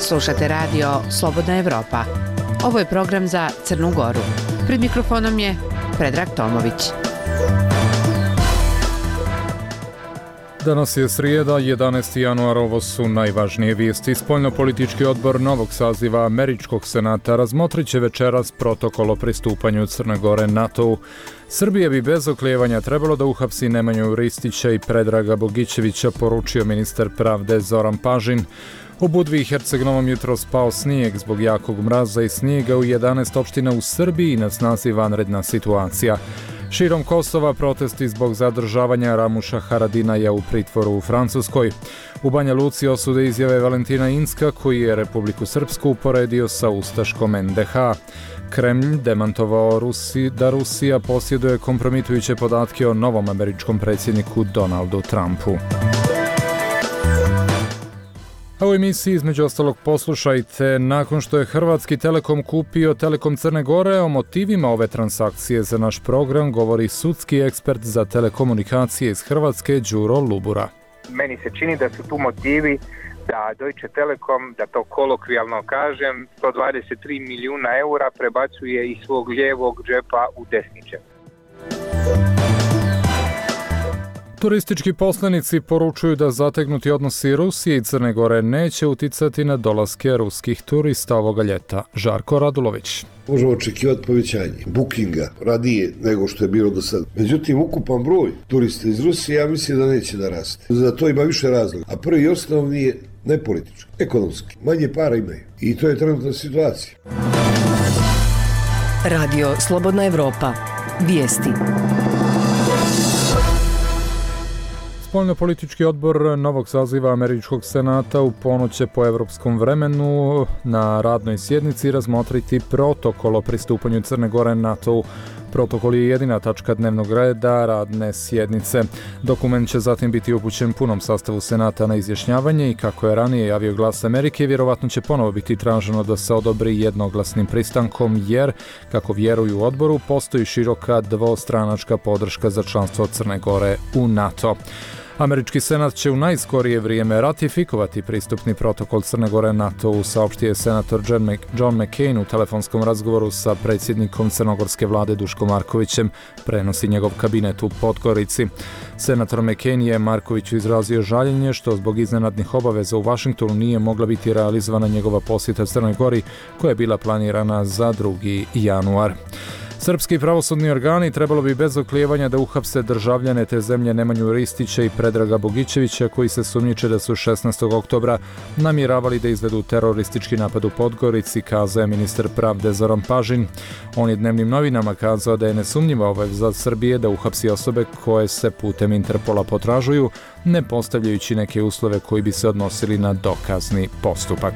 Slušate radio Slobodna Evropa. Ovo je program za Crnu Goru. Pred mikrofonom je Predrag Tomović. Danas je srijeda, 11. januar, ovo su najvažnije vijesti. Spoljnopolitički odbor novog saziva Američkog senata razmotrit će večeras protokol o pristupanju Crne Gore NATO-u. Srbije bi bez oklijevanja trebalo da uhapsi Nemanju Ristića i Predraga Bogićevića, poručio ministar pravde Zoran Pažin. U Budvi i Herceg-Novom jutros pao snijeg zbog jakog mraza i snijega u 11 opština u Srbiji, na snazi vanredna situacija. Širom Kosova protesti zbog zadržavanja Ramuša Haradinaja u pritvoru u Francuskoj. U Banja Luci osude izjave Valentina Incka, koji je Republiku Srpsku uporedio sa ustaškom NDH. Kremlj demantovao da Rusija posjeduje kompromitujuće podatke o novom američkom predsjedniku Donaldu Trumpu. A u emisiji između ostalog poslušajte, nakon što je Hrvatski Telekom kupio Telekom Crne Gore, o motivima ove transakcije za naš program govori sudski ekspert za telekomunikacije iz Hrvatske Đuro Lubura. Meni se čini da su tu motivi da Deutsche Telekom, da to kolokvijalno kažem, 123 milijuna eura prebacuje iz svog lijevog džepa u desni džep. Turistički poslanici poručuju da zategnuti odnosi Rusije i Crne Gore neće uticati na dolaske ruskih turista ovoga ljeta. Žarko Radulović. Možemo očekivati povećanje bookinga radije nego što je bilo do sada. Međutim, ukupan broj turista iz Rusije, ja mislim da neće da raste. Za to ima više razloga. A prvi i osnovni je ne politički, ekonomski. Manje para imaju. I to je trenutna situacija. Radio Slobodna Evropa. Vijesti. Spoljnopolitički odbor novog saziva Američkog senata u ponoć će po evropskom vremenu na radnoj sjednici razmotriti protokol o pristupanju Crne Gore NATO-u. Protokol je jedina tačka dnevnog reda radne sjednice. Dokument će zatim biti upućen punom sastavu senata na izjašnjavanje i, kako je ranije javio Glas Amerike, vjerovatno će ponovo biti traženo da se odobri jednoglasnim pristankom, jer, kako vjeruju u odboru, postoji široka dvostranačka podrška za članstvo Crne Gore u NATO. Američki senat će u najskorije vrijeme ratifikovati pristupni protokol Crne Gore NATO-u, saopštio je senator John McCain u telefonskom razgovoru sa predsjednikom crnogorske vlade Duškom Markovićem, prenosi njegov kabinet u Podgorici. Senator McCain je Markoviću izrazio žaljenje što zbog iznenadnih obaveza u Vašingtonu nije mogla biti realizovana njegova posjeta Crnoj Gori, koja je bila planirana za 2. januar. Srpski pravosudni organi trebalo bi bez oklijevanja da uhapse državljane te zemlje Nemanju Ristića i Predraga Bogićevića, koji se sumnjiče da su 16. oktobra namjeravali da izvedu teroristički napad u Podgorici, kazao je ministar pravde Zoran Pažin. On je dnevnim novinama kazao da je nesumnjiva obaveza Srbije da uhapsi osobe koje se putem Interpola potražuju, ne postavljajući neke uslove koji bi se odnosili na dokazni postupak.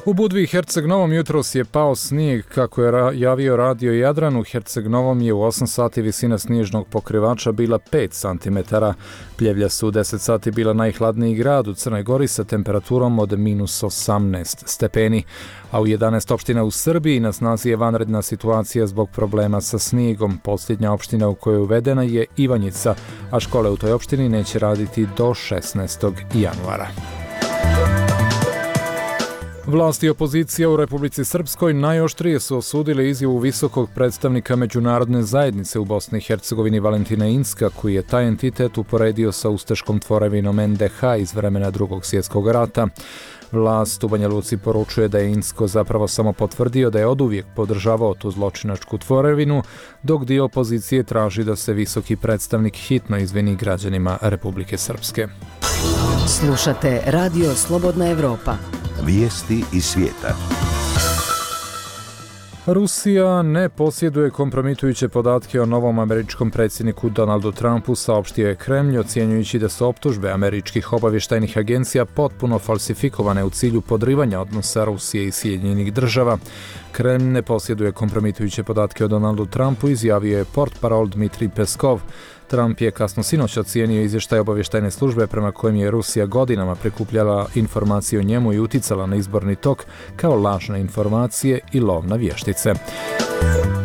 U Budvi i Herceg-Novom jutros je pao snijeg, kako je javio radio Jadran. U Herceg-Novom je u 8 sati visina snježnog pokrivača bila 5 cm. Pljevlja su u 10 sati bila najhladniji grad u Crnoj Gori sa temperaturom od -18 stepeni. A u 11 opština u Srbiji na snazi je vanredna situacija zbog problema sa snijegom. Posljednja opština u kojoj je uvedena je Ivanjica, a škole u toj opštini neće raditi do 16. januara. Vlasti i opozicija u Republici Srpskoj najoštrije su osudili izjavu visokog predstavnika međunarodne zajednice u Bosni i Hercegovini Valentina Incka, koji je taj entitet uporedio sa ustaškom tvorevinom NDH iz vremena Drugog svjetskog rata. Vlast u Banja Luci poručuje da je Incko zapravo samo potvrdio da je oduvijek podržavao tu zločinačku tvorevinu, dok dio opozicije traži da se visoki predstavnik hitno izvini građanima Republike Srpske. Slušate Radio Slobodna Evropa. Vijesti iz svijeta. Rusija ne posjeduje kompromitujuće podatke o novom američkom predsjedniku Donaldu Trumpu, saopštio je Kremlj, ocjenjujući da su optužbe američkih obavještajnih agencija potpuno falsifikovane u cilju podrivanja odnosa Rusije i Sjedinjenih država. Kremlj ne posjeduje kompromitujuće podatke o Donaldu Trumpu, izjavio je portparol Dmitrij Peskov. Trump je kasno sinoć ocijenio izvještaj obavještajne službe prema kojem je Rusija godinama prikupljala informacije o njemu i uticala na izborni tok kao lažne informacije i lov na vještice.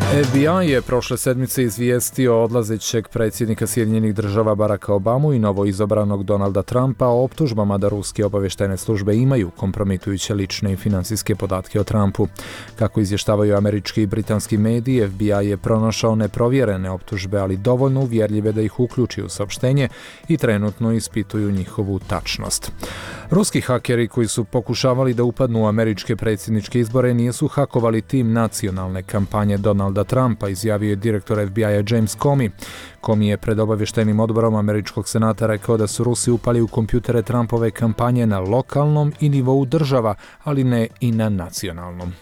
FBI je prošle sedmice izvijestio odlazećeg predsjednika Sjedinjenih Država Baracka Obamu i novoizabranog Donalda Trumpa o optužbama da ruske obavještajne službe imaju kompromitujuće lične i financijske podatke o Trumpu. Kako izvještavaju američki i britanski mediji, FBI je pronašao neprovjerene optužbe, ali dovoljno uvjerljive da ih uključi u saopštenje i trenutno ispituju njihovu tačnost. Ruski hakeri koji su pokušavali da upadnu u američke predsjedničke izbore nisu hakovali tim nacionalne kampanje Donalda Trumpa, izjavio je direktor FBI-a James Comey. Comey je pred obavještajnim odborom američkog senata rekao da su Rusi upali u kompjutere Trumpove kampanje na lokalnom i nivou država, ali ne i na nacionalnom.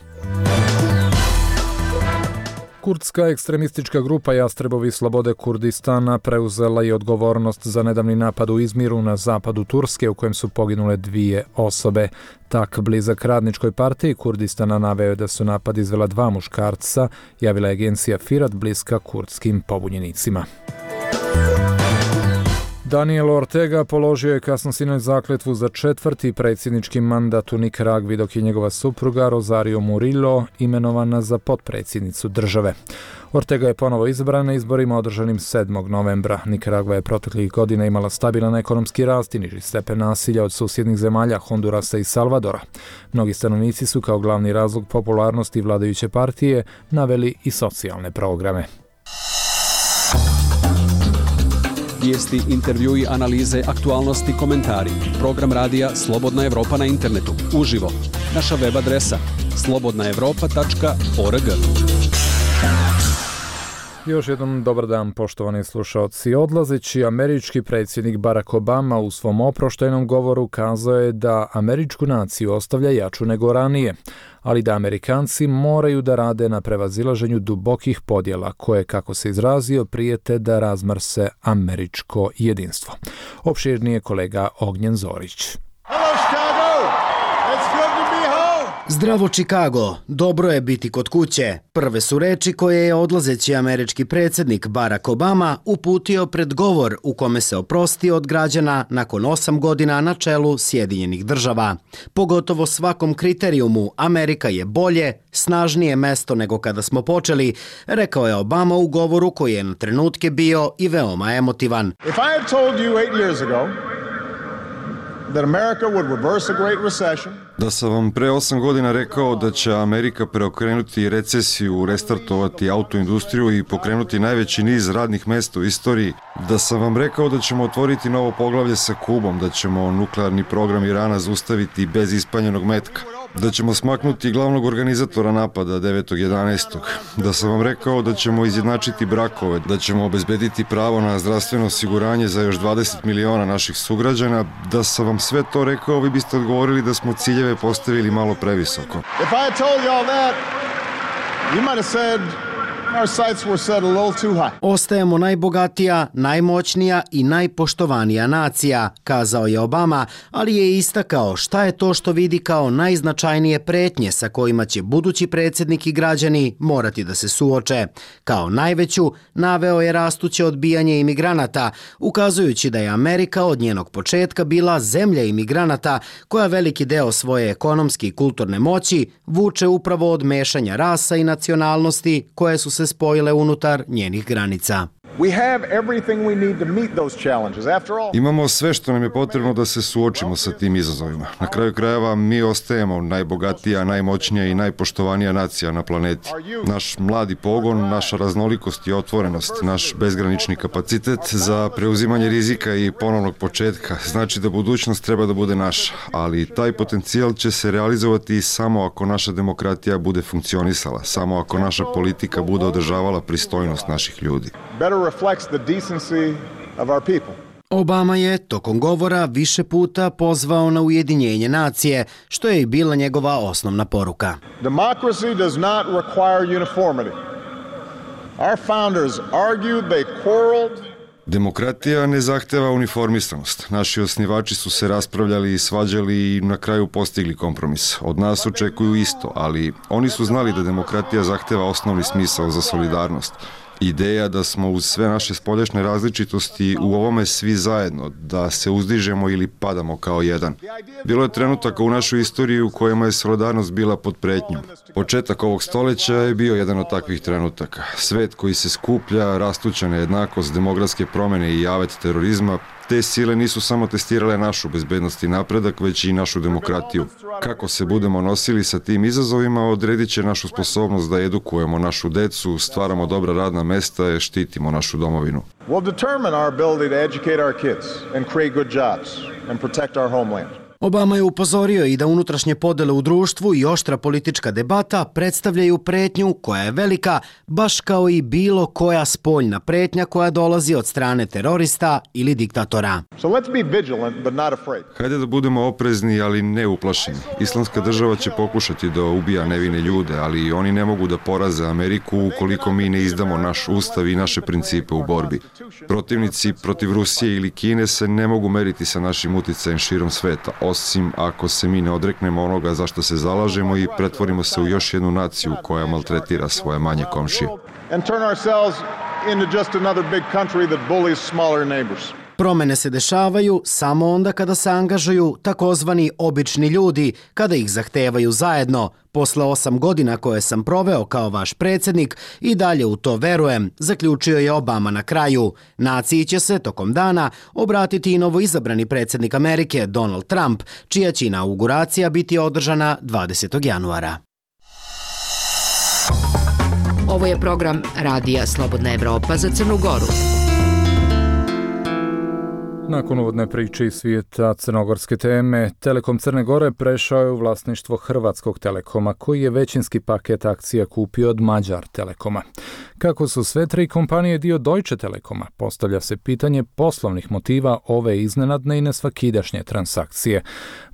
Kurdska ekstremistička grupa Jastrebovi slobode Kurdistana preuzela je odgovornost za nedavni napad u Izmiru na zapadu Turske u kojem su poginule 2 osobe. Tak blizak radničkoj partiji Kurdistana naveo da su napad izvela 2 muškarca, javila je agencija Firat bliska kurdskim pobunjenicima. Daniel Ortega položio je kasno sinoć zakletvu za 4. predsjednički mandat u Nikaragvi, dok je njegova supruga Rosario Murillo imenovana za potpredsjednicu države. Ortega je ponovo izabran na izborima održanim 7. novembra. Nikaragva je proteklih godina imala stabilan ekonomski rast i niži stepen nasilja od susjednih zemalja Hondurasa i Salvadora. Mnogi stanovnici su kao glavni razlog popularnosti vladajuće partije naveli i socijalne programe. Vijesti, intervjui, analize, aktualnosti, komentari. Program radija Slobodna Evropa na internetu. Uživo. Naša web adresa slobodnaevropa.org. Još jednom dobar dan, poštovani slušalci. Odlazeći američki predsjednik Barack Obama u svom oproštajnom govoru kazao je da američku naciju ostavlja jaču nego ranije, ali da Amerikanci moraju da rade na prevazilaženju dubokih podjela koje, kako se izrazio, prijete da razmrse američko jedinstvo. Opširnije kolega Ognjen Zorić. Zdravo Chicago, dobro je biti kod kuće. Prve su reči koje je odlazeći američki predsjednik Barack Obama uputio pred govor u kome se oprostio od građana nakon 8 godina na čelu Sjedinjenih Država. Pogotovo svakom kriterijumu Amerika je bolje, snažnije mesto nego kada smo počeli, rekao je Obama u govoru koji je na trenutke bio i veoma emotivan. If I had told you 8 years ago that America would reverse a great recession. Da sam vam pre 8 godina rekao da će Amerika preokrenuti recesiju, restartovati autoindustriju i pokrenuti najveći niz radnih mesta u istoriji, da sam vam rekao da ćemo otvoriti novo poglavlje sa Kubom, da ćemo nuklearni program Irana zaustaviti bez ispaljenog metka, da ćemo smaknuti glavnog organizatora napada 9.11. Da sam vam rekao da ćemo izjednačiti brakove, da ćemo obezbediti pravo na zdravstveno osiguranje za još 20 miliona naših sugrađana, da sam vam sve to rekao, vi biste odgovorili da smo ciljeve postavili malo previsoko. If I had told you all that, you might have said our sights were set a little too high. Ostajemo najbogatija, najmoćnija i najpoštovanija nacija, kazao je Obama, ali je istakao šta je to što vidi kao najznačajnije pretnje sa kojima će budući predsjednik i građani morati da se suoče. Kao najveću naveo je rastuće odbijanje imigranata, ukazujući da je Amerika od njenog početka bila zemlja imigranata koja veliki deo svoje ekonomske i kulturne moći vuče upravo od mešanja rasa i nacionalnosti koje su se spojile unutar njenih granica. Imamo sve što nam je potrebno da se suočimo sa tim izazovima. Na kraju krajeva mi ostajemo najbogatija, najmoćnija i najpoštovanija nacija na planeti. Naš mladi pogon, naša raznolikost i otvorenost, naš bezgranični kapacitet za preuzimanje rizika i ponovnog početka znači da budućnost treba da bude naša, ali taj potencijal će se realizovati samo ako naša demokratija bude funkcionisala, samo ako naša politika bude održavala pristojnost naših ljudi. Obama je tokom govora više puta pozvao na ujedinjenje nacije, što je i bila njegova osnovna poruka. Democracy does not require uniformity. Our founders argued, they quarreled. Demokratija ne zahteva uniformisanost. Naši osnivači su se raspravljali i svađali i na kraju postigli kompromis. Od nas očekuju isto, ali oni su znali da demokratija zahteva osnovni smisao za solidarnost. Ideja da smo uz sve naše spoljašnje različitosti u ovome svi zajedno, da se uzdižemo ili padamo kao jedan. Bilo je trenutaka u našoj istoriji u kojima je solidarnost bila pod pretnjom. Početak ovog stoljeća je bio jedan od takvih trenutaka. Svet koji se skuplja, rastuća nejednakost, demografske promjene i javet terorizma, te sile nisu samo testirale našu bezbednost i napredak, već i našu demokratiju. Kako se budemo nosili sa tim izazovima, odredit će našu sposobnost da edukujemo našu decu, stvaramo dobra radna mesta i štitimo našu domovinu. Will determine our ability to educate our kids and create good jobs and protect our homeland. Obama je upozorio i da unutrašnje podele u društvu i oštra politička debata predstavljaju pretnju koja je velika, baš kao i bilo koja spoljna pretnja koja dolazi od strane terorista ili diktatora. So let's be vigilant but not afraid. Hajde da budemo oprezni, ali ne uplašeni. Islamska država će pokušati da ubija nevine ljude, ali oni ne mogu da poraze Ameriku ukoliko mi ne izdamo naš ustav i naše principe u borbi. Protivnici protiv Rusije ili Kine se ne mogu meriti sa našim uticajem širom sveta, osim ako se mi ne odreknemo onoga za što se zalažemo i pretvorimo se u još jednu naciju koja maltretira svoje manje komšije. Promene se dešavaju samo onda kada se angažuju takozvani obični ljudi, kada ih zahtevaju zajedno. Posle 8 godina koje sam proveo kao vaš predsjednik i dalje u to verujem, zaključio je Obama na kraju. Naciji će se tokom dana obratiti i novoizabrani predsjednik Amerike Donald Trump, čija će inauguracija biti održana 20. januara. Ovo je program Radija Slobodna Evropa za Crnu Goru. Nakon uvodne priče iz svijeta crnogorske teme, Telekom Crne Gore prešao je u vlasništvo Hrvatskog Telekoma, koji je većinski paket akcija kupio od Mađar Telekoma. Kako su sve tri kompanije dio Deutsche Telekoma, postavlja se pitanje poslovnih motiva ove iznenadne i nesvakidašnje transakcije.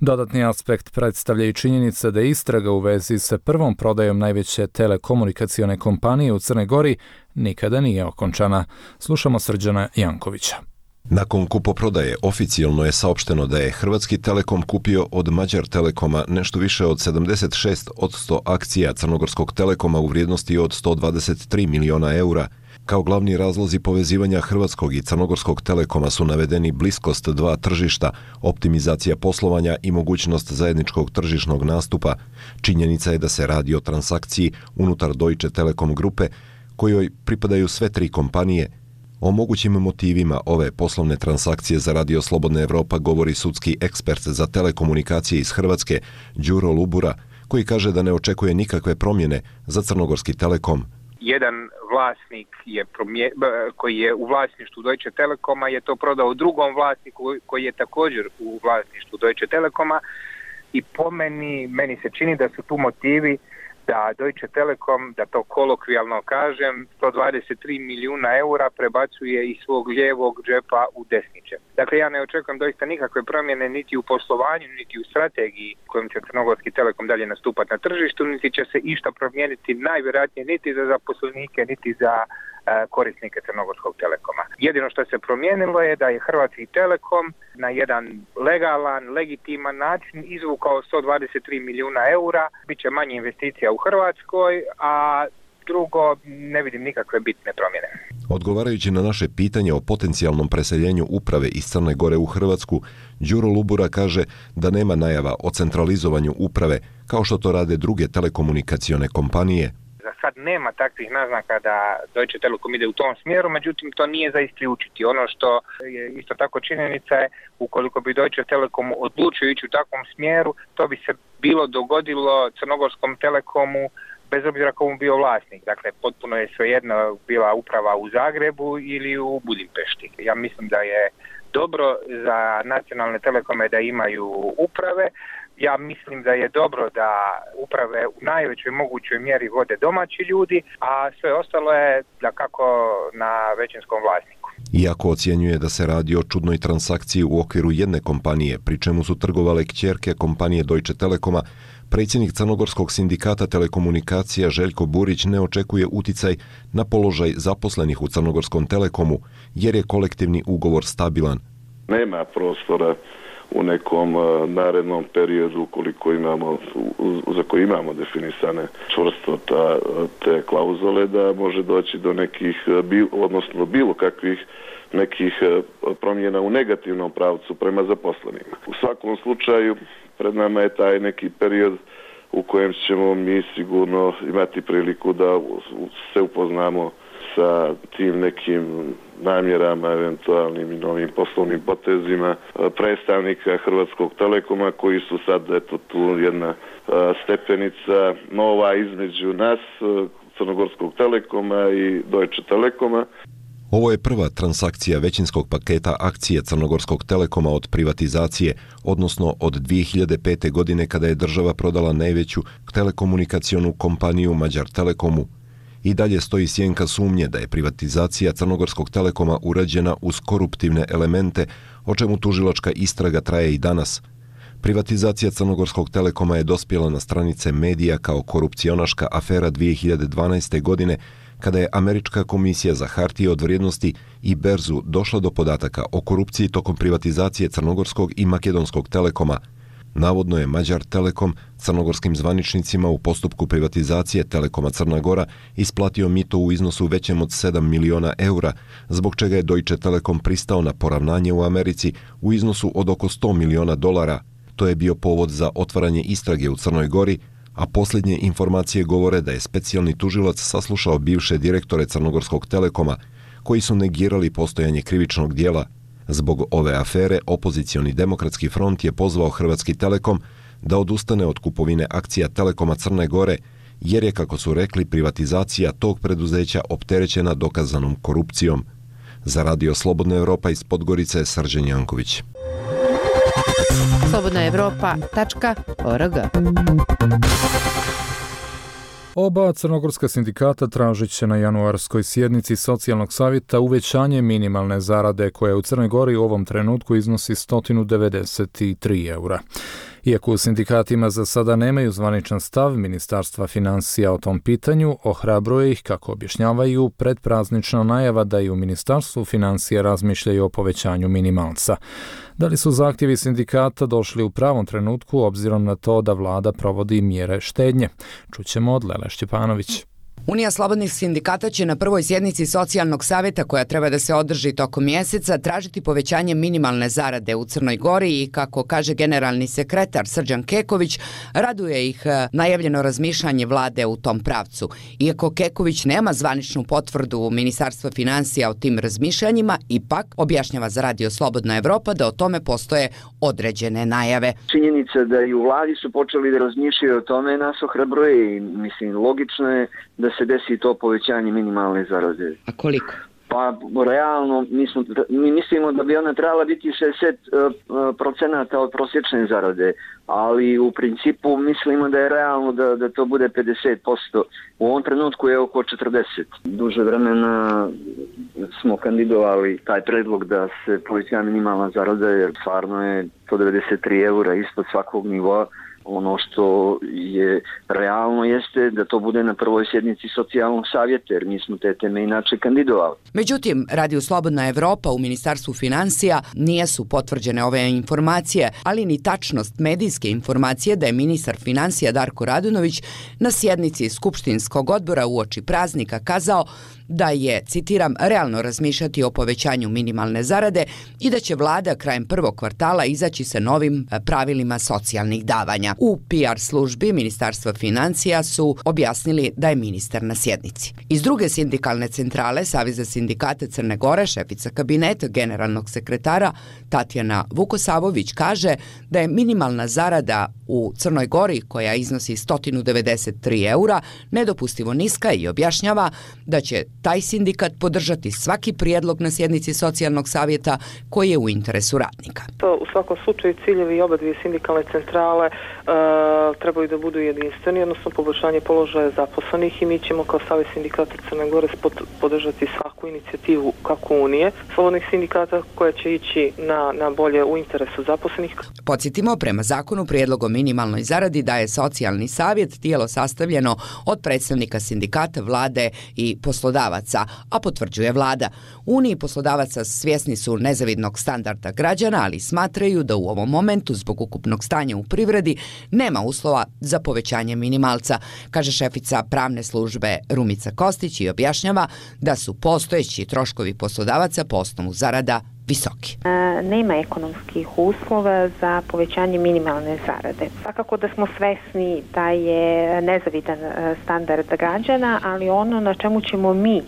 Dodatni aspekt predstavlja i činjenica da istraga u vezi sa prvom prodajom najveće telekomunikacione kompanije u Crnoj Gori nikada nije okončana. Slušamo Srđana Jankovića. Nakon kupoprodaje oficijalno je saopšteno da je Hrvatski Telekom kupio od Mađar Telekoma nešto više od 76% akcija Crnogorskog Telekoma u vrijednosti od 123 miliona eura. Kao glavni razlozi povezivanja Hrvatskog i Crnogorskog Telekoma su navedeni bliskost dva tržišta, optimizacija poslovanja i mogućnost zajedničkog tržišnog nastupa. Činjenica je da se radi o transakciji unutar Deutsche Telekom grupe, kojoj pripadaju sve tri kompanije. O mogućim motivima ove poslovne transakcije za Radio Slobodna Evropa govori sudski ekspert za telekomunikacije iz Hrvatske, Đuro Lubura, koji kaže da ne očekuje nikakve promjene za Crnogorski Telekom. Jedan vlasnik koji je u vlasništvu Deutsche Telekoma je to prodao drugom vlasniku koji je također u vlasništvu Deutsche Telekoma i po meni se čini da su tu motivi da Deutsche Telekom, da to kolokvijalno kažem, 123 milijuna eura prebacuje iz svog lijevog džepa u desni džep. Dakle, ja ne očekujem doista nikakve promjene niti u poslovanju, niti u strategiji kojom će Crnogorski Telekom dalje nastupati na tržištu, niti će se išta promijeniti najvjerojatnije niti za zaposlenike, niti za korisnike Crnogorskog Telekoma. Jedino što se promijenilo je da je Hrvatski Telekom na jedan legalan, legitiman način izvukao 123 milijuna eura, bit će manje investicija u Hrvatskoj, a drugo, ne vidim nikakve bitne promjene. Odgovarajući na naše pitanje o potencijalnom preseljenju uprave iz Crne Gore u Hrvatsku, Đuro Lubura kaže da nema najava o centralizovanju uprave, kao što to rade druge telekomunikacione kompanije. Za sad nema takvih naznaka da Deutsche Telekom ide u tom smjeru, međutim to nije za isključiti. Ono što je isto tako činjenica je, ukoliko bi Deutsche Telekom odlučio ići u takvom smjeru, to bi se bilo dogodilo Crnogorskom Telekomu bez obzira komu bio vlasnik. Dakle, potpuno je svejedno bila uprava u Zagrebu ili u Budimpešti. Ja mislim da je dobro za nacionalne telekome da imaju uprave. Ja mislim da je dobro da uprave u najvećoj mogućoj mjeri vode domaći ljudi, a sve ostalo je dakako na većinskom vlasniku. Iako ocjenjuje da se radi o čudnoj transakciji u okviru jedne kompanije, pri čemu su trgovale kćerke kompanije Deutsche Telekoma, predsjednik Crnogorskog sindikata telekomunikacija Željko Burić ne očekuje uticaj na položaj zaposlenih u Crnogorskom Telekomu, jer je kolektivni ugovor stabilan. Nema prostora u nekom narednom periodu, ukoliko imamo, za koji imamo definisane čvrsto te klauzule, da može doći do nekih, odnosno bilo kakvih nekih promjena u negativnom pravcu prema zaposlenima. U svakom slučaju pred nama je taj neki period u kojem ćemo mi sigurno imati priliku da se upoznamo sa tim nekim namjerama, eventualnim i novim poslovnim potezima predstavnika Hrvatskog Telekoma, koji su sad tu jedna stepenica nova između nas, Crnogorskog Telekoma i Deutsche Telekoma. Ovo je prva transakcija većinskog paketa akcije Crnogorskog Telekoma od privatizacije, odnosno od 2005. godine kada je država prodala najveću telekomunikacionu kompaniju Magyar Telekomu. I dalje stoji sjenka sumnje da je privatizacija Crnogorskog Telekoma urađena uz koruptivne elemente, o čemu tužilačka istraga traje i danas. Privatizacija Crnogorskog Telekoma je dospjela na stranice medija kao korupcionaška afera 2012. godine, kada je Američka komisija za hartije od vrijednosti i berzu došla do podataka o korupciji tokom privatizacije Crnogorskog i Makedonskog Telekoma. Navodno je Magyar Telekom crnogorskim zvaničnicima u postupku privatizacije Telekoma Crna Gora isplatio mito u iznosu većem od 7 miliona eura, zbog čega je Deutsche Telekom pristao na poravnanje u Americi u iznosu od oko 100 miliona dolara. To je bio povod za otvaranje istrage u Crnoj Gori, a posljednje informacije govore da je specijalni tužilac saslušao bivše direktore Crnogorskog Telekoma, koji su negirali postojanje krivičnog dijela. Zbog ove afere, opozicioni Demokratski front je pozvao Hrvatski Telekom da odustane od kupovine akcija Telekoma Crne Gore, jer je, kako su rekli, privatizacija tog preduzeća opterećena dokazanom korupcijom. Za Radio Slobodna Evropa iz Podgorice, Srđan Janković. slobodnaevropa.org. Oba crnogorska sindikata tražit će na januarskoj sjednici socijalnog savjeta uvećanje minimalne zarade koja u Crnoj Gori u ovom trenutku iznosi 193 eura. Iako u sindikatima za sada nemaju zvaničan stav Ministarstva financija o tom pitanju, ohrabruje ih, kako objašnjavaju, predpraznična najava da i u Ministarstvu financija razmišljaju o povećanju minimalca. Da li su zahtjevi sindikata došli u pravom trenutku obzirom na to da vlada provodi mjere štednje? Čućemo od Lele Šćepanović. Unija slobodnih sindikata će na prvoj sjednici socijalnog savjeta, koja treba da se održi tokom mjeseca, tražiti povećanje minimalne zarade u Crnoj Gori i, kako kaže generalni sekretar Srđan Keković, raduje ih najavljeno razmišljanje vlade u tom pravcu. Iako Keković nema zvaničnu potvrdu Ministarstva financija o tim razmišljanjima, ipak objašnjava za Radio Slobodna Evropa da o tome postoje određene najave. Činjenica da i u vladi su počeli da razmišljaju o tome nas ohrabruje i mislim logično je da se desi to povećanje minimalne zarade. A koliko? Pa realno mi mislimo da bi ona trebala biti 60% od prosječne zarade, ali u principu mislimo da je realno da to bude 50%. U ovom trenutku je oko 40. Duže vremena smo kandidovali taj predlog da se poveća minimalna zarada, jer stvarno je to 93 eura ispod svakog nivoa. Ono što je realno jeste da to bude na prvoj sjednici socijalnog savjeta, jer mi smo te teme inače kandidovali. Međutim, Radio Slobodna Evropa u Ministarstvu financija nisu potvrđene ove informacije, ali ni tačnost medijske informacije da je ministar financija Darko Radunović na sjednici Skupštinskog odbora uoči praznika kazao da je, citiram, realno razmišljati o povećanju minimalne zarade i da će vlada krajem prvog kvartala izaći sa novim pravilima socijalnih davanja. U PR službi Ministarstva financija su objasnili da je ministar na sjednici. Iz druge sindikalne centrale Saveza sindikata Crne Gore, šefica kabineta generalnog sekretara Tatjana Vukosavović kaže da je minimalna zarada u Crnoj Gori, koja iznosi 193 eura, nedopustivo niska i objašnjava da će taj sindikat podržati svaki prijedlog na sjednici socijalnog savjeta koji je u interesu radnika. U svakom slučaju ciljevi oba dvije sindikalne centrale trebaju da budu jedinstveni, odnosno poboljšanje položaja zaposlenih, i mi ćemo kao Savez sindikata Crne Gore podržati svaku inicijativu kako Unije slobodnih sindikata koja će ići na bolje u interesu zaposlenih. Podsjetimo, prema zakonu prijedlog o minimalnoj zaradi daje socijalni savjet, tijelo sastavljeno od predstavnika sindikata, vlade i poslodavaca, a potvrđuje vlada. Uniji poslodavaca svjesni su nezavidnog standarda građana, ali smatraju da u ovom momentu zbog ukupnog stanja u privredi nema uslova za povećanje minimalca, kaže šefica pravne službe Rumica Kostić i objašnjava da su postojeći troškovi poslodavaca po osnovu zarada visoki. Nema ekonomskih uslova za povećanje minimalne zarade. Svakako da smo svesni da je nezavidan standard građana, ali ono na čemu ćemo mi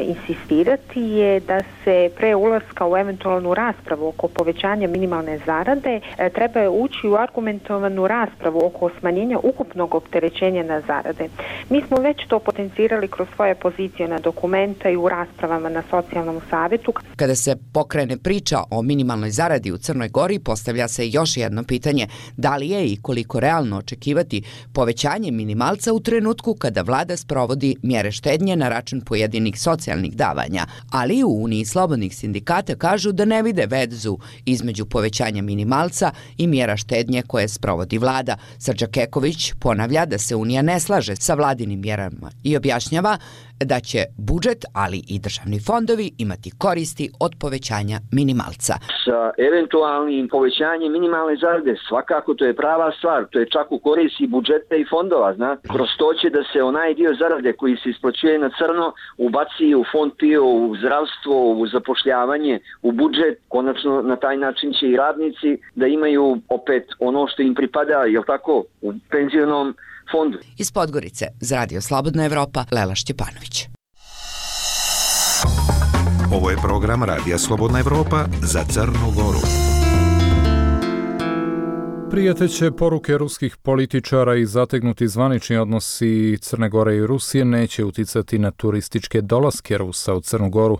insistirati je da se pre ulaska u eventualnu raspravu oko povećanja minimalne zarade treba ući u argumentovanu raspravu oko smanjenja ukupnog opterećenja na zarade. Mi smo već to potencirali kroz svoje pozicije na dokumenta i u raspravama na socijalnom savjetu. Kada se pokrene priča o minimalnoj zaradi u Crnoj Gori, postavlja se još jedno pitanje: da li je i koliko realno očekivati povećanje minimalca u trenutku kada vlada sprovodi mjere štednje na račun pojedinih socijalnih davanja, ali u Uniji slobodnih sindikata kažu da ne vide vezu između povećanja minimalca i mjera štednje koje sprovodi vlada. Srđa Keković ponavlja da se Unija ne slaže sa vladinim mjerama i objašnjava da će budžet, ali i državni fondovi imati koristi od povećanja minimalca. Sa eventualnim povećanjem minimalne zarade svakako to je prava stvar, to je čak u koristi budžeta i fondova, znate. Kroz to će da se onaj dio zarade koji se isplaćuje na crno ubaci u fond PIO, u zdravstvo, u zapošljavanje, u budžet. Konačno na taj način će i radnici da imaju opet ono što im pripada, jel tako, u penzionom fondu. Iz Podgorice za Radio Slobodna Evropa, Lela Šćepanović. Ovo je program Radija Slobodna Evropa za Crnu Goru. Prijeteće poruke ruskih političara i zategnuti zvanični odnosi Crne Gore i Rusije neće uticati na turističke dolaske Rusa u Crnu Goru,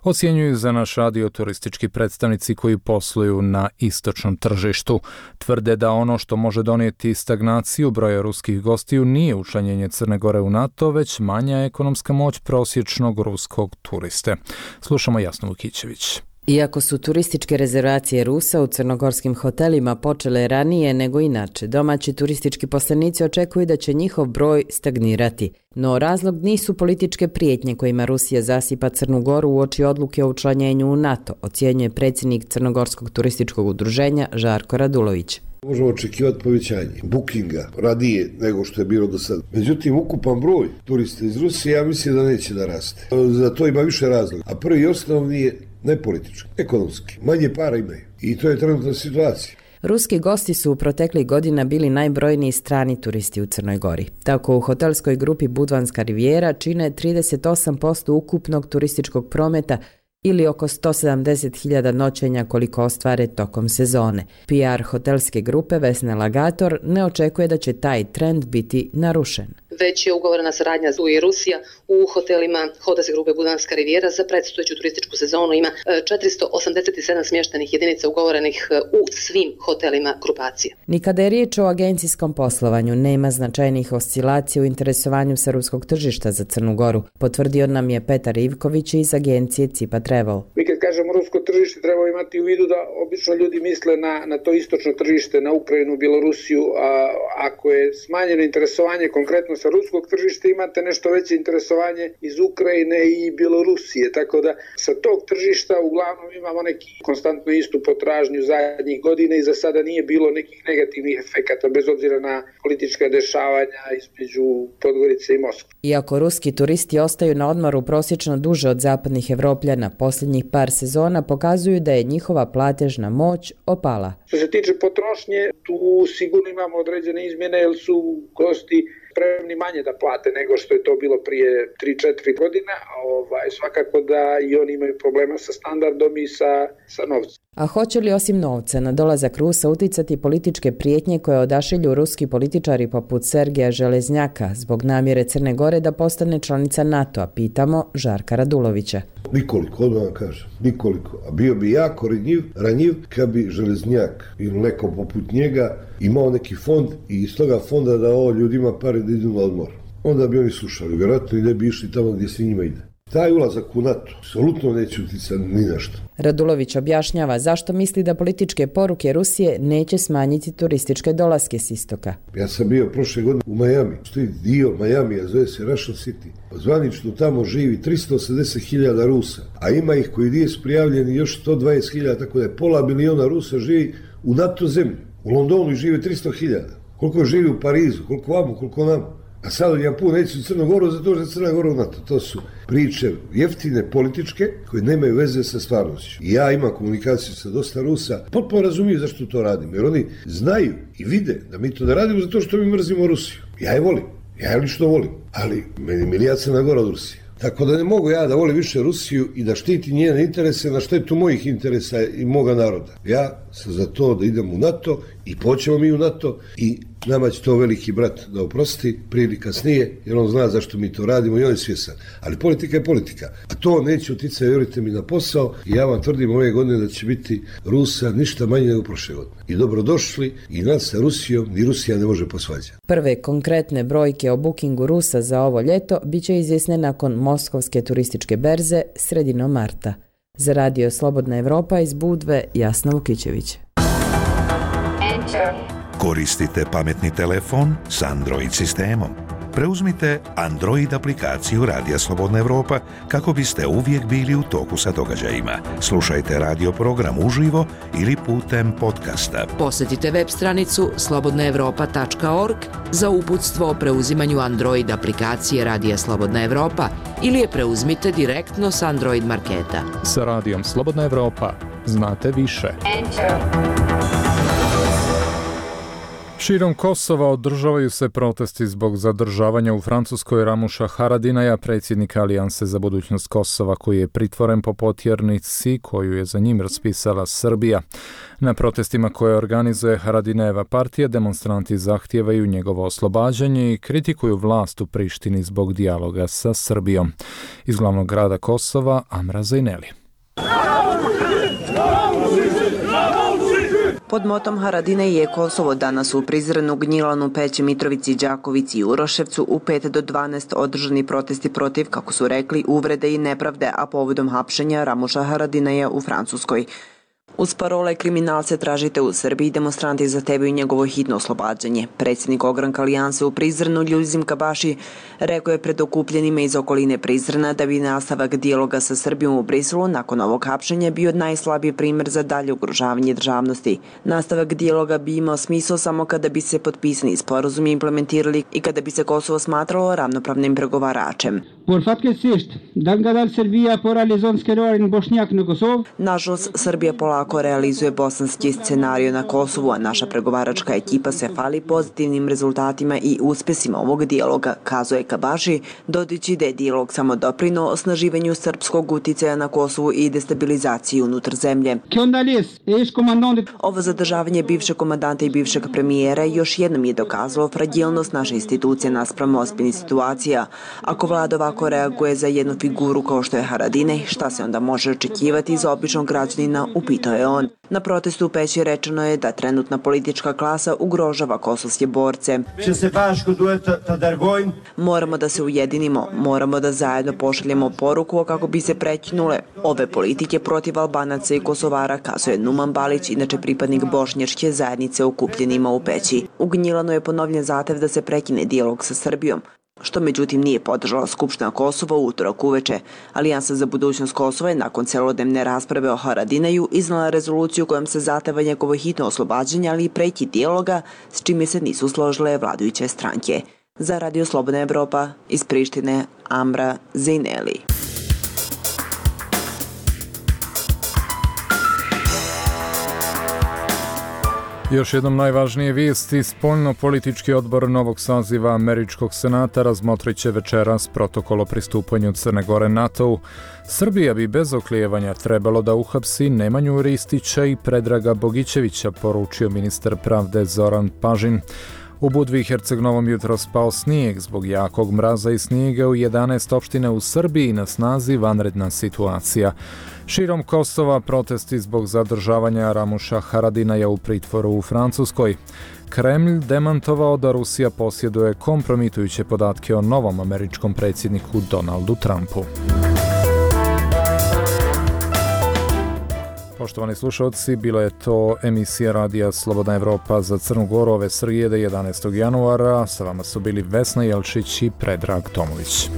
ocjenjuju za naš radio turistički predstavnici koji posluju na istočnom tržištu. Tvrde da ono što može donijeti stagnaciju broja ruskih gostiju nije učlanjenje Crne Gore u NATO, već manja ekonomska moć prosječnog ruskog turiste. Slušamo Jasnu Vukićević. Iako su turističke rezervacije Rusa u crnogorskim hotelima počele ranije nego inače, domaći turistički poslanici očekuju da će njihov broj stagnirati. No razlog nisu političke prijetnje kojima Rusija zasipa Crnu Goru uoči odluke o učlanjenju u NATO, ocjenjuje predsjednik Crnogorskog turističkog udruženja Žarko Radulović. Možemo očekivati povećanje bookinga radije nego što je bilo do sada. Međutim, ukupan broj turista iz Rusije, ja mislim da neće da raste. Za to ima više razloga. A prvi i osnovni je ne politički, ekonomski. Manje para imaju. I to je trenutna situacija. Ruski gosti su u proteklih godina bili najbrojniji strani turisti u Crnoj Gori. Tako u hotelskoj grupi Budvanska rivijera čine 38% ukupnog turističkog prometa ili oko 170.000 noćenja koliko ostvare tokom sezone. PR hotelske grupe Vesna Lagator ne očekuje da će taj trend biti narušen. Već je ugovorena saradnja ZU i Rusija u hotelima hotelske grupe Budvanska rivijera za predstojeću turističku sezonu. Ima 487 smještenih jedinica ugovorenih u svim hotelima grupacije. Ni kada je riječ o agencijskom poslovanju, nema značajnih oscilacija u interesovanju sa ruskog tržišta za Crnu Goru, potvrdio nam je Petar Ivković iz agencije Cipa Travel. Mi kad kažemo rusko tržište treba imati u vidu da obično ljudi misle na to istočno tržište, na Ukrajinu, Bjelorusiju, a ako je smanjeno interesovanje konkretno sa ruskog tržišta, imate nešto veće interesovanje iz Ukrajine i Bjelorusije, tako da sa tog tržišta uglavnom imamo neki konstantno istu potražnju zadnjih godina i za sada nije bilo nekih negativnih efekata bez obzira na politička dešavanja između Podgorice i Moskve. Iako ruski turisti ostaju na odmoru prosječno duže od zapadnih Evropljana, posljednjih par sezona pokazuju da je njihova platežna moć opala. Što se tiče potrošnje, tu sigurno imamo određene izmjene jer su gosti spremni manje da plate nego što je to bilo prije 3-4 godina. Svakako da i oni imaju problema sa standardom i sa novcem. A hoće li osim novca na dolazak Rusa uticati političke prijetnje koje odašilju ruski političari poput Sergeja Železnjaka zbog namjere Crne Gore da postane članica NATO-a, pitamo Žarka Radulovića. Nikoliko, odmah vam kažem, nikoliko. A bio bi jako ranjiv kad bi Železnjak ili neko poput njega imao neki fond i iz toga fonda dao ljudima pare da idu na odmor. Onda bi oni slušali, vjerojatno i ne bi išli tamo gdje svi njima ide. Taj ulazak u NATO apsolutno neće utjecati ni na što. Radulović objašnjava zašto misli da političke poruke Rusije neće smanjiti turističke dolaske s istoka. Ja sam bio prošle godine u Miami. Stoji dio Miamija, zove se Russian City. Zvanično tamo živi 380.000 Rusa, a ima ih koji nisu prijavljeni još 120.000, tako da je pola miliona Rusa živi u NATO zemlji. U Londonu žive 300.000. Koliko živi u Parizu, koliko vamo, koliko nam. A sad ja puno neću u Crnu Goru zato što je Crna Gora u NATO. To su priče jeftine, političke, koje nemaju veze sa stvarnošću. I ja imam komunikaciju sa dosta Rusa, potpuno razumiju zašto to radimo, jer oni znaju i vide da mi to ne radimo zato što mi mrzimo Rusiju. Ja je volim, ja je lično volim, ali meni milija Crna Gora od Rusije. Tako da ne mogu ja da volim više Rusiju i da štiti njene interese na štetu mojih interesa i moga naroda. Ja sam za to da idem u NATO i poćemo mi u NATO i nama će to veliki brat da oprosti prije ili kasnije, jer on zna zašto mi to radimo i on je svjesan. Ali politika je politika. A to neće utjecati, vjerujte mi, na posao i ja vam tvrdim ove godine da će biti Rusa ništa manje nego prošle godine. I dobrodošli i nas sa Rusijom, ni Rusija ne može posvađati. Prve konkretne brojke o bookingu Rusa za ovo ljeto bit će izvjesne nakon Moskovske turističke berze sredinom marta. Za Radio Slobodna Evropa iz Budve, Jasna Vukićević. Koristite pametni telefon s Android sistemom. Preuzmite Android aplikaciju Radija Slobodna Evropa kako biste uvijek bili u toku sa događajima. Slušajte radio program uživo ili putem podcasta. Posjetite web stranicu slobodnaevropa.org za uputstvo o preuzimanju Android aplikacije Radija Slobodna Evropa ili je preuzmite direktno s Android marketa. Sa Radijom Slobodna Evropa znate više. Širom Kosova održavaju se protesti zbog zadržavanja u Francuskoj Ramuša Haradinaja, predsjednika Alijanse za budućnost Kosova, koji je pritvoren po potjernici koju je za njim raspisala Srbija. Na protestima koje organizuje Haradinajeva partija, demonstranti zahtijevaju njegovo oslobađanje i kritikuju vlast u Prištini zbog dijaloga sa Srbijom. Iz glavnog grada Kosova, Amra Zajneli. Pod motom Haradinaj je Kosovo danas u Prizrenu, Gnjilanu, Peći, Mitrovici, Đakovici i Uroševcu u 5 do 12 održani protesti protiv, kako su rekli, uvrede i nepravde, a povodom hapšenja Ramuša Haradinaja u Francuskoj. Uz parole kriminalce tražite u Srbiji, demonstranti zahtevaju njegovo hitno oslobađanje. Predsjednik ogranka Alijanse u Prizrenu, Ljuzim Kabaši, rekao je pred okupljenima iz okoline Prizrena da bi nastavak dijaloga sa Srbijom u Briselu nakon ovog hapšenja bio najslabiji primjer za dalje ugrožavanje državnosti. Nastavak dijaloga bi imao smisao samo kada bi se potpisani sporazumi implementirali i kada bi se Kosovo smatralo ravnopravnim pregovaračem. Nažalost, Srbija polako realizuje bosanski scenarij na Kosovu, a naša pregovaračka ekipa se fali pozitivnim rezultatima i uspjesima ovog dijaloga, kazuje Kabaši, dodajući da je dijalog samo doprinuo osnaživanju srpskog uticaja na Kosovu i destabilizaciji unutar zemlje. Ovo zadržavanje bivšeg komandanta i bivšeg premijera još jednom je dokazalo fragilnost naše institucije naspram ozbiljnih situacija. Ako vlada ovako reaguje za jednu figuru kao što je Haradinaj, šta se onda može očekivati za običnog građanina, upitao je on. Na protestu u Peći rečeno je da trenutna politička klasa ugrožava kosovske borce. Moramo da se ujedinimo, moramo da zajedno pošaljemo poruku kako bi se prekinule ove politike protiv Albanaca i Kosovara, kazuje Numan Balić, inače pripadnik bošnjačke zajednice okupljenima u Peći. U Gnjilanu je ponovljen zahtev da se prekine dijalog sa Srbijom, što međutim nije podržala Skupština Kosova u utorak uveče. Alijansa za budućnost Kosova je nakon celodnevne rasprave o Haradinaju iznala rezoluciju kojom se zahteva njegovo hitno oslobađanje, ali i prekid dijaloga, s čime se nisu složile vladajuće stranke. Za Radio Slobodna Evropa iz Prištine, Amra Zajneli. Još jednom najvažnije vijesti, spoljno-politički odbor novog saziva Američkog senata razmotrit će večeras protokol o pristupanju Crne Gore NATO-u. Srbija bi bez oklijevanja trebalo da uhapsi Nemanju Ristića i Predraga Bogićevića, poručio ministar pravde Zoran Pažin. U Budvi i Herceg-Novom jutro spao snijeg. Zbog jakog mraza i snijega u 11 opština u Srbiji na snazi vanredna situacija. Širom Kosova protesti zbog zadržavanja Ramuša Haradinaja u pritvoru u Francuskoj. Kremlj demantovao da Rusija posjeduje kompromitujuće podatke o novom američkom predsjedniku Donaldu Trumpu. Poštovani slušalci, bila je to emisija Radija Slobodna Evropa za Crnu Goru ove srijede 11. januara. Sa vama su bili Vesna Jelčić i Predrag Tomović.